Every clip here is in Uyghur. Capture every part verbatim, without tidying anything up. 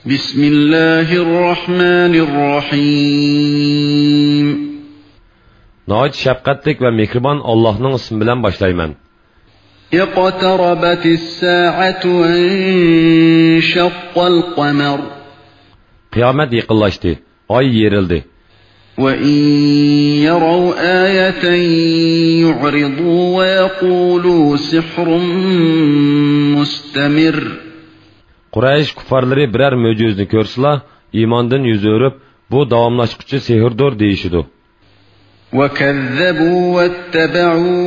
بسم الله الرحمن الرحيم. ناھايىتى شەپقەتلىك ۋە مېھرىبان ئاللاھنىڭ ئىسمى بىلەن باشلايمەن. اقتربت الساعة وانشق القمر. قىيامەت يېقىنلاشتى، ئاي يېرىلدى. وإن يروا آية يعرضوا ويقولوا سحر مستمر. قۇرەيش كۇففارلىرى بىرەر مۆجىزىنى كۆرسىلا، ئىماندىن يۈز ئۆرۈپ، بۇ داۋاملاشقۇچى سېھىردۇر دېيىشىدۇ. وكذبوا واتبعوا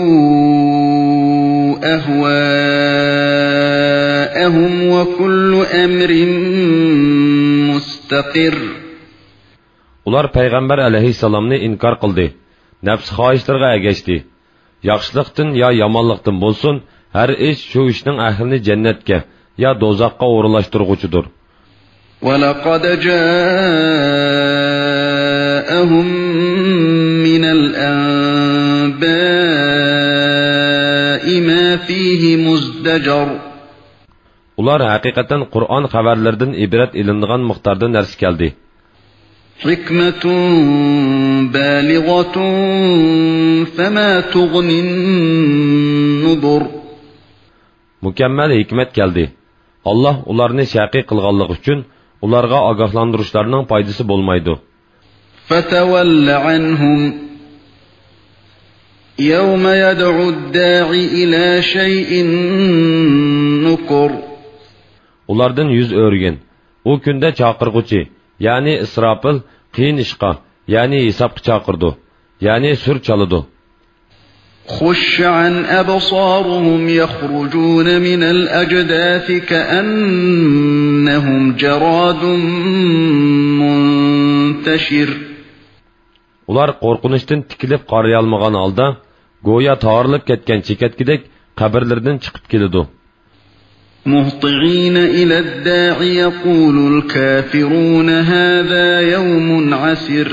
أهواءهم وكل أمر مستقر. ئۇلار پەيغەمبەر ئەلەيھىسسالامنى ئىنكار قىلدى، نەپسى خاھىشلىرىغا ئەگەشتى. ياخشىلىقتىن يا يامانلىقتىن بولسۇن، ھەر ئىش شۇ ئىشنىڭ ئەھلىنى جەننەتكە يا دوزاخقا ئورۇنلاشتۇرغۇچىدۇر. ولقد جاءهم من الأنباء ما فيه مزدجر. ئۇلار ھەقىقەتەن قۇرئان خەۋەرلىرىدىن ئىبرەت ئېلىنىدىغان مىقداردا نەرسە كەلدى. حكمة بالغة فما تغن النذر. مۇكەممەل ھېكمەت كەلدى. ئاللاھ ئۇلارنى شەقىي قىلغانلىقى ئۈچۈن ئۇلارغا ئاگاھلاندۇرۇشلارنىڭ پايدىسى بولمايدۇ. فتول عنهم يوم يدع الداع إلى شيء نكر. ئۇلاردىن يۈز ئۆرۈگىن. ئۇ كۈندە چاقىرغۇچى، يەنى ئىسراپىل قىيىن ئىشقا، يەنى ھېسابقا چاقىرىدۇ، يەنى سۈر چالىدۇ. خش عن أبصارهم يخرجون من الأجداث كأنهم جراد منتشر. ئۇلار قورقۇنچتىن تىكىلىپ قارىيالمىغان ھالدا، گويا تارىلىپ كەتكەن چېكەتكىدەك قەبرىلىرىدىن چىقىپ كېلىدۇ. مهطعين إلى الداع يقول الكافرون هذا يوم عسر.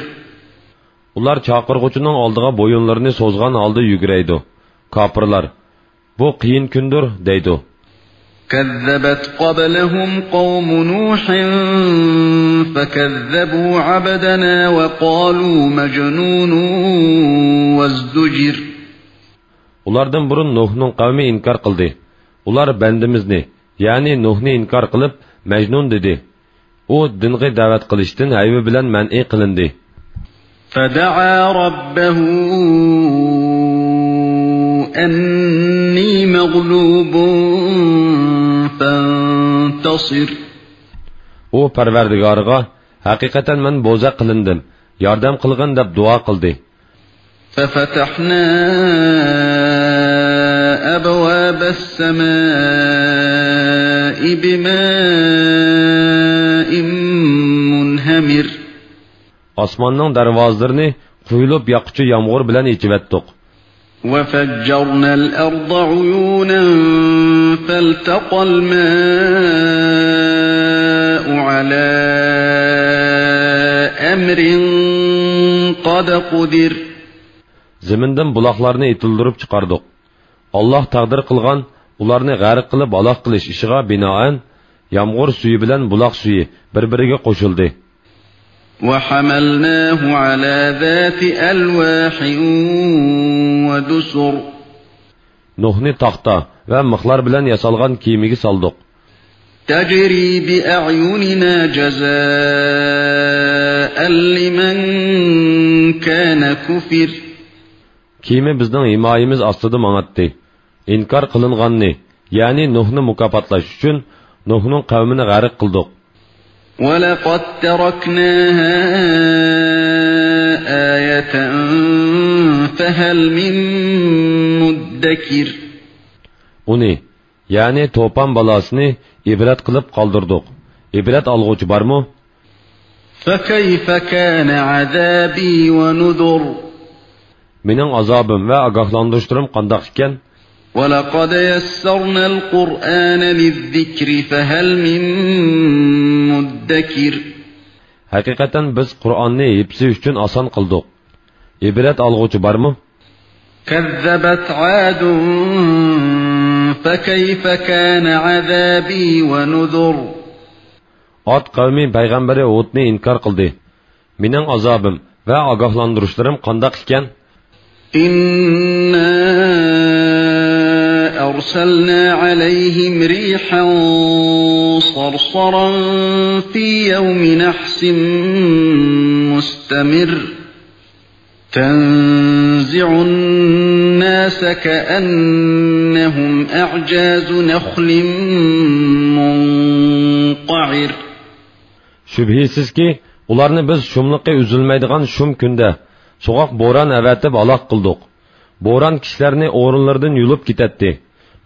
ئۇلار چاقىرغۇچىنىڭ ئالدىغا بويۇنلىرىنى سوزغان ھالدا يۈگرەيدۇ. كاپىرلار، بۇ قىيىن كۈندۇر، دەيدۇ. كذبت قبلهم قوم نوح فكذبوا عبدنا وقالوا مجنون وازدجر. ئۇلاردىن بۇرۇن نۇھنىڭ قەۋمى ئىنكار قىلدى. ئۇلار بەندىمىزنى، يەنى نۇھنى ئىنكار قىلىپ، مەجنۇن دېدى. ئۇ دىنغا دەۋەت قىلىشتىن ھەيۋە بىلەن مەنئى قىلىندى. فدعا ربه أني مغلوب فانتصر. ئۇ پەرۋەردىگارىغا، ھەقىقەتەن مەن بوزەك قىلىندىم، ياردەم قىلغىن دەپ دۇئا قىلدى. ففتحنا أبواب السماء بماء منهمر. ئاسماننىڭ دەرۋازىلىرىنى قۇيۇلۇپ ياغقۇچى يامغۇر بىلەن ئېچىۋەتتۇق. وفجرنا الأرض عيونا فالتقى الماء على أمر قد قدر. زېمىندىن بۇلاقلارنى ئېتىلدۈرۈپ چىقاردۇق. ئاللاھ تەقدىر قىلغان ئۇلارنى غەرق قىلىپ ھالاك قىلىش ئىشىغا بىنائەن، يامغۇر سۈيى بىلەن بۇلاق سۈيى بىر-بىرىگە قوشۇلدى. وحملناه على ذات ألواح ودسر. نۇھنى تاختا ۋە مىخلار بىلەن ياسالغان كېمىگە سالدۇق. تجري بأعيننا جزاء لمن كان كفر. كېمە بىزنىڭ ھىمايىمىز ئاستىدا ماڭاتتى. ئىنكار قىلىنغاننى، يەنى نۇھنى مۇكاپاتلاش ئۈچۈن نۇھنىڭ قەۋمىنى غەرق قىلدۇق. ولقد تركناها آية فهل من مدكر. ئۇنى، يەنى توپان بالاسىنى ئىبرەت قىلىپ قالدۇردۇق. ئىبرەت ئالغۇچى بارمۇ؟ فكيف كان عذابي ونذر. مېنىڭ ئازابىم ۋە ئاگاھلاندۇرۇشلىرىم قانداق ئىكەن؟ ولقد يسرنا القرآن للذكر فهل من مدكر. ھەقىقەتەن بىز قۇرئاننى ھىفزى ئۈچۈن ئاسان قىلدۇق. ئىبرەت ئالغۇچى بارمۇ؟ كذبت عاد فكيف كان عذابي ونذر. ئاد قەۋمى پەيغەمبىرى ھۇدنى ئىنكار قىلدى. مېنىڭ ئازابىم ۋە ئاگاھلاندۇرۇشلىرىم قانداق ئىكەن؟ إنا أرسلنا عليهم ريحا صرصرا في يوم نحس مستمر تنزع الناس كأنهم أعجاز نخل منقعر. شۈبھىسىزكى، ئۇلارنى بىز شۇملۇقى ئۈزۈلمەيدىغان شۇم كۈندە سوغۇق بوران ئەۋەتىپ ھالاك قىلدۇق. بوران كىشىلەرنى ئورۇنلىرىدىن يۇلۇپ كېتەتتى.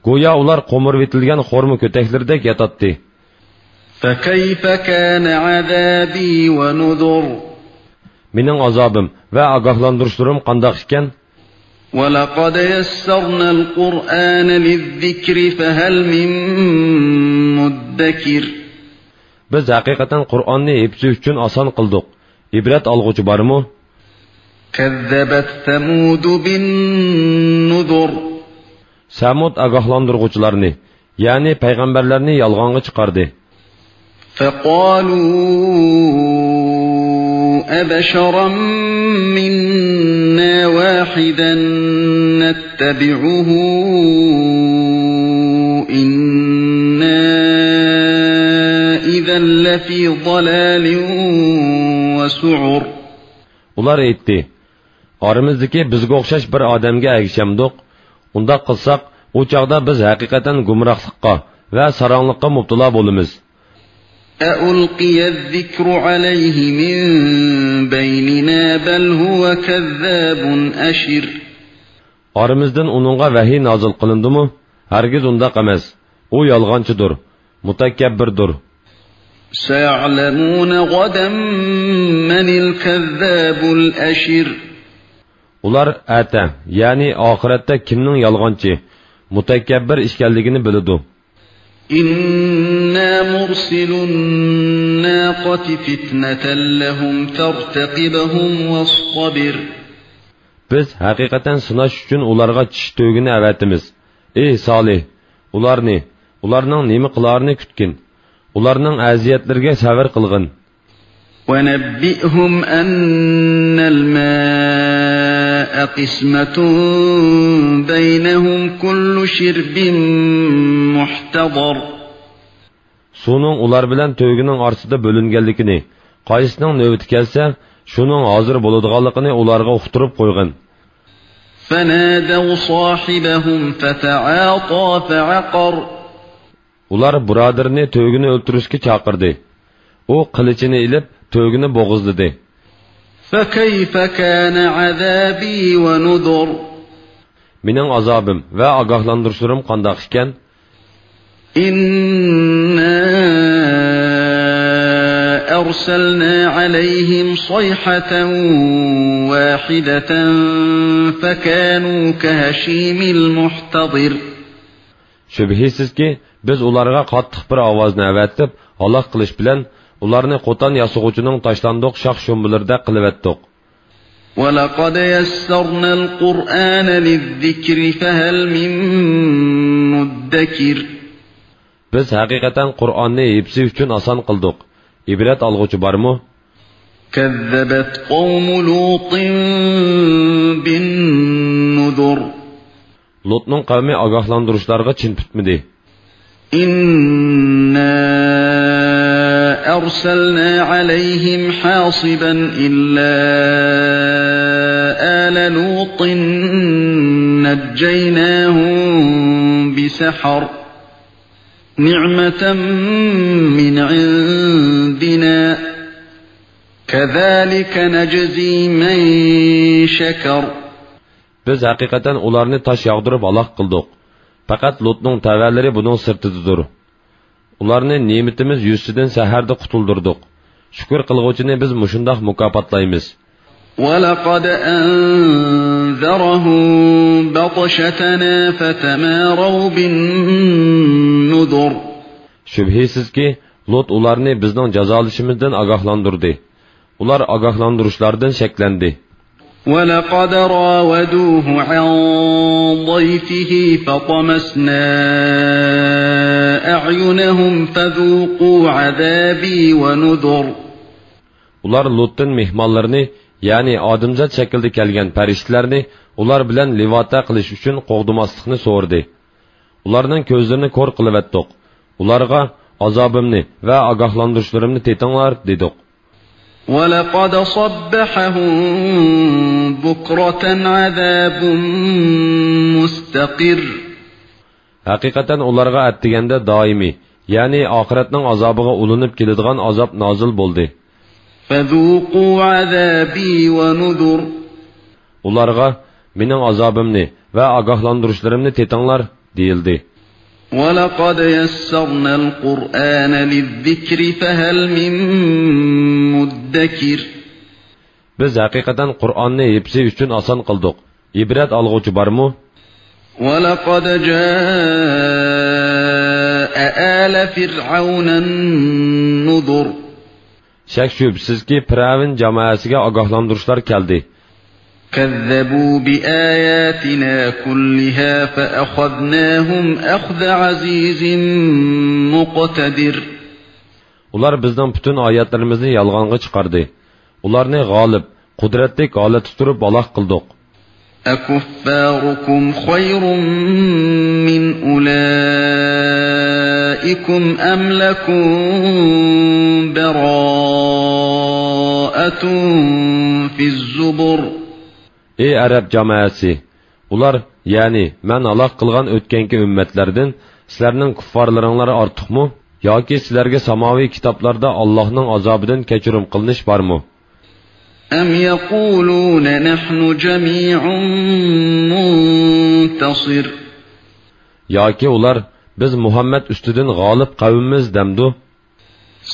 گويا ئۇلار قومۇرۇۋېتىلگەن خورما كۆتەكلىرىدەك ياتاتتى. فكيف كان عذابي ونذر. مېنىڭ ئازابىم ۋە ئاگاھلاندۇرۇشلىرىم قانداق ئىكەن؟ ولقد يسرنا القرآن للذكر فهل من مدكر. بىز ھەقىقەتەن قۇرئاننى ھىپسى ئۈچۈن ئاسان قىلدۇق. ئىبرەت ئالغۇچى بارمۇ؟ كذبت ثمود بالنذر. سەمۇد ئاگاھلاندۇرغۇچىلارنى، يەنى پەيغەمبەرلەرنى يالغانغا چىقاردى. فقالوا أبشرا منا واحدا نتبعه إنا إذا لفي ضلال وسعر. ئۇلار ئېيتتى: ئارىمىزدىكى بىزگە ئوخشاش بىر ئادەمگە ئەگىشەمدۇق؟ ئۇنداق قىلساق، ئۇ چاغدا بىز ھەقىقەتەن گۇمراھلىققا ۋە ساراڭلىققا مۇپتىلا بولىمىز. أألقي الذكر عليه من بيننا بل هو كذاب أشر. ئارىمىزدىن ئۇنىڭغا ۋەھىي نازىل قىلىندىمۇ؟ ھەرگىز ئۇنداق ئەمەس. ئۇ يالغانچىدۇر، مۇتەكەببىردۇر. سيعلمون غدا من الكذاب الأشر. ئۇلار ئەتە، يەنى ئاخىرەتتە كىمنىڭ يالغانچى، مۇتەكەببىر ئىكەنلىكىنى بىلىدۇ. إنا مرسلو الناقة فتنة لهم فارتقبهم واصطبر. بىز ھەقىقەتەن سىناش ئۈچۈن ئۇلارغا چىشى تۆگىنى ئەۋەتىمىز. ئى سالىھ، ئۇلارنى، ئۇلارنىڭ نېمە قىلارىنى كۈتكىن. ئۇلارنىڭ ئەزىيەتلىرىگە سەۋر قىلغىن. ونبئهم أن الماء قسمة بينهم كل شرب محتضر. سۇنىڭ ئۇلار بىلەن تۆگىنىڭ ئارىسىدا بۆلۈنگەنلىكىنى، قايسىنىڭ نۆۋىتى كەلسە، شۇنىڭ ھازىر بولىدىغانلىقىنى ئۇلارغا ئۇقتۇرۇپ قويغىن. فنادوا صاحبهم فتعاطى فعقر. ئۇلار بۇرادىرىنى تۆگىنى ئۆلتۈرۈشكە چاقىردى. ئۇ قىلىچىنى ئېلىپ، تۆگىنى بوغۇزلىدى. فكيف كان عذابي ونذر. مېنىڭ ئازابىم ۋە ئاگاھلاندۇرۇشلىرىم قانداق ئىكەن؟ إنا أرسلنا عليهم صيحة واحدة فكانوا كهشيم المحتضر. شۈبھىسىزكى، بىز ئۇلارغا قاتتىق بىر ئاۋازنى ئەۋەتىپ، ھالاك قىلىش بىلەن، ئۇلارنى قوتان ياسىغۇچىنىڭ تاشلاندۇق شاخ-شۇمبىلىرىدەك قىلىۋەتتۇق. ولقد يسرنا القرآن للذكر فهل من مدكر. بىز ھەقىقەتەن قۇرئاننى ھىپسى ئۈچۈن ئاسان قىلدۇق. ئىبرەت ئالغۇچى بارمۇ؟ كذبت قوم لوط بالنذر. لوتنىڭ قەۋمى ئاگاھلاندۇرۇشلارغا چىن پۈتمىدى. إنا أرسلنا عليهم حاصبا إلا آل لوط نجيناهم بسحر نعمة من عندنا كذلك نجزي من شكر. بىز ھەقىقەتەن ئۇلارنى تاش ياغدۇرۇپ ھالاك قىلدۇق. پەقەت لۇتنىڭ تەۋەلىرى بۇنىڭ سىرتىدىدۇر. ئۇلارنى نېمىتىمىز يۈزىسىدىن سەھەردە قۇتۇلدۇردۇق. شۈكۈر قىلغۇچىنى بىز مۇشۇنداق مۇكاپاتلايمىز. ولقد أنذرهم بطشتنا فتماروا بالنذر. شۈبھىسىزكى، لۇت ئۇلارنى بىزنىڭ جازالىشىمىزدىن ئاگاھلاندۇردى. ئۇلار ئاگاھلاندۇرۇشلاردىن شەكلەندى. ولقد راودوه عن ضيفه فطمسنا أعينهم فذوقوا عذابي ونذر. ئۇلار لۇتتىن مېھمانلىرىنى، يەنى ئادەمزات شەكلىدە كەلگەن پەرىشتىلەرنى ئۇلار بىلەن لىۋاتە قىلىش ئۈچۈن قوغدىماسلىقنى سورىدى. ئۇلارنىڭ كۆزلىرىنى كور قىلىۋەتتۇق. ئۇلارغا، «ئازابىمنى ۋە ئاگاھلاندۇرۇشلىرىمنى تېتىڭلار» دېدۇق. ولقد صبحهم بكرة عذاب مستقر. ھەقىقەتەن ئۇلارغا ئەتىگەندە دائىمىي، يەنى ئاخىرەتنىڭ ئازابىغا ئۇلىنىپ كېلىدىغان ئازاب نازىل بولدى. فذوقوا عذابي ونذر. ئۇلارغا، «مېنىڭ ئازابىمنى ۋە ئاگاھلاندۇرۇشلىرىمنى تېتىڭلار» دېيىلدى. ولقد يسرنا القرآن للذكر فهل من مدكر. بىز ھەقىقەتەن قۇرئاننى ھىپسى ئۈچۈن ئاسان قىلدۇق. ئىبرەت ئالغۇچى بارمۇ؟ ولقد جاء آل فرعون النذر. شەك-شۈبھىسىزكى، پىرئەۋن جامائەسىگە ئاگاھلاندۇرۇشلار كەلدى. كذبوا بآياتنا كلها فأخذناهم أخذ عزيز مقتدر. ئۇلار بىزنىڭ پۈتۈن ئايەتلىرىمىزنى يالغانغا چىقاردى. ئۇلارنى غالىب، قۇدرەتلىك ھالەتتە تۇرۇپ ھالاك قىلدۇق. أكفاركم خير من أولئكم أم لكم براءة في الزبر. ئى ئەرەب جامائەسى! ئۇلار، يەنى مەن ھالاك قىلغان ئۆتكەنكى ئۈممەتلەردىن سىلەرنىڭ كۇففارلىرىڭلار ئارتۇقمۇ؟ ياكى سىلەرگە ساماۋىي كىتابلاردا ئاللاھنىڭ ئازابىدىن كەچۈرۈم قىلىنىش بارمۇ؟ أم يقولون نحن جميع منتصر. ياكى ئۇلار، «بىز مۇھەممەد ئۈستىدىن غالىب قەۋممىز» دەمدۇ؟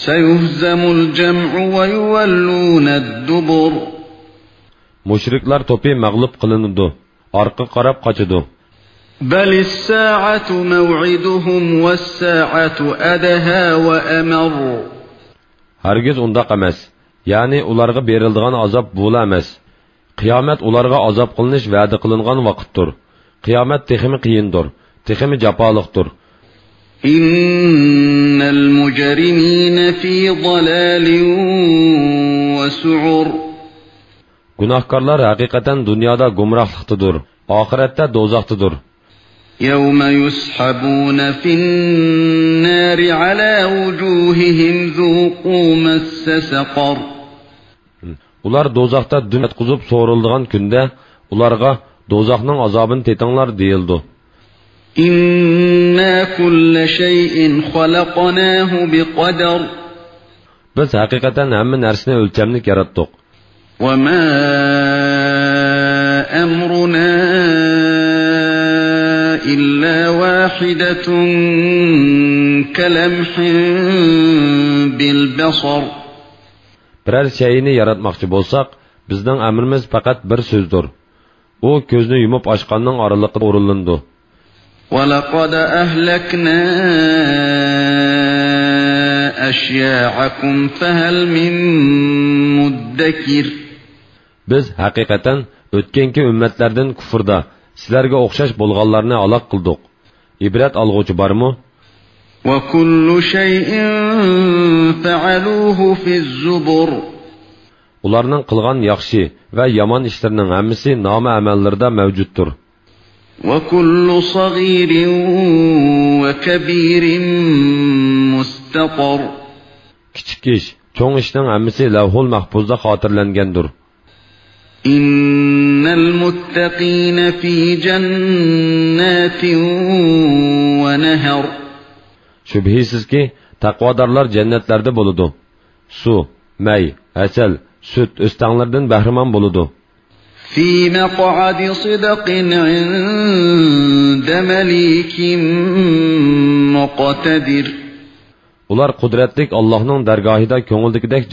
سيهزم الجمع ويولون الدبر. مۇشرىكلار توپى مەغلۇپ قىلىنىدۇ، ئارقىغا قاراپ قاچىدۇ. بل الساعة موعدهم والساعة أدهى وأمر. ھەرگىز ئۇنداق ئەمەس. يەنى ئۇلارغا بېرىلىدىغان ئازاب بۇلا ئەمەس. قىيامەت ئۇلارغا ئازاب قىلىنىش ۋەدە قىلىنغان ۋاقىتتۇر. قىيامەت تېخىمۇ قىيىندۇر، تېخىمۇ جاپالىقتۇر. إن المجرمين في ضلال وسعر. گۇناھكارلار ھەقىقەتەن دۇنيادا گۇمراھلىقتىدۇر، ئاخىرەتتە دوزاختىدۇر. يوم يسحبون في النار على وجوههم ذوقوا مس سقر. ئۇلار دوزاختا دۈم ياتقۇزۇپ سورىلىدىغان كۈندە، ئۇلارغا، «دوزاخنىڭ ئازابىنى تېتىڭلار» دېيىلىدۇ. إنا كل شيء خلقناه بقدر. بىز ھەقىقەتەن ھەممە نەرسىنى ئۆلچەملىك ياراتتۇق. وما أمرنا إلا واحدة كلمح بالبصر. بىرەر شەيئىنى ياراتماقچى بولساق، بىزنىڭ ئەمرىمىز پەقەت بىر سۆزدۇر. ئۇ كۆزنى يۇمۇپ ئاچقاننىڭ ئارىلىقىدا ئورۇنلىنىدۇ. ولقد أهلكنا أشياعكم فهل من مدكر. بىز ھەقىقەتەن ئۆتكەنكى ئۈممەتلەردىن كۇفردا سىلەرگە ئوخشاش بولغانلارنى ھالاك قىلدۇق. ئىبرەت ئالغۇچى بارمۇ؟ وكل شيء فعلوه في الزبر. ئۇلارنىڭ قىلغان ياخشى ۋە يامان ئىشلىرىنىڭ ھەممىسى نامە ئەمەللىرىدە مەۋجۇتتۇر. وكل صغير وكبير مستطر. كىچىك ئىش، چوڭ ئىشنىڭ ھەممىسى لەۋھۇل مەھپۇزدا خاتىرىلەنگەندۇر. إن المتقين في جنات ونهر. شۈبھىسىزكى، تەقۋادارلار جەننەتلەردە بولىدۇ. سۇ، مەي، ھەسەل، سۈت ئۆستەڭلىرىدىن بەھرىمەن بولىدۇ. في مقعد صدق عند مليك مقتدر. ئۇلار قۇدرەتلىك ئاللاھنىڭ دەرگاھىدا كۆڭۈلدىكىدەك